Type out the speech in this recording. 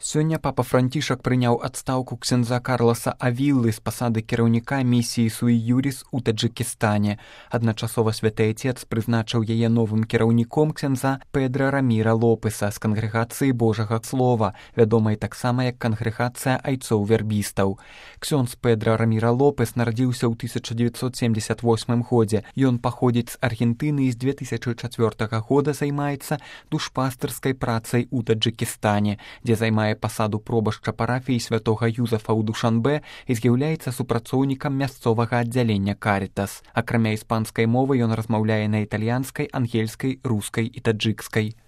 Сёння папа Францішак прыняў адстаўку ксяндза Карласа Авіллы з пасады кіраўніка місіі Суі Юріс у Таджыкістане. Адначасова святы Айцец прызначыў яе новым кіраўніком ксяндза Педра Раміра Лопеса з кангрэгацыі Божага Слова, вядомай таксама як кангрэгацыя айцоў-вербістаў. Ксёндз Педра Раміра Лопес нарадзіўся ў 1978 годзе. Ён паходзіць з Аргентыны і з 2004 года займаецца душпастырскай працай у Таджыкістане, дзе займае пасаду пробашча парафіі святога Юзафа ў Душанбе і з'яўляецца супрацоўнікам мясцовага аддзялення Карітас. Акрамя іспанскай мовы ён размаўляе на італьянскай, ангельскай, рускай і таджыкскай.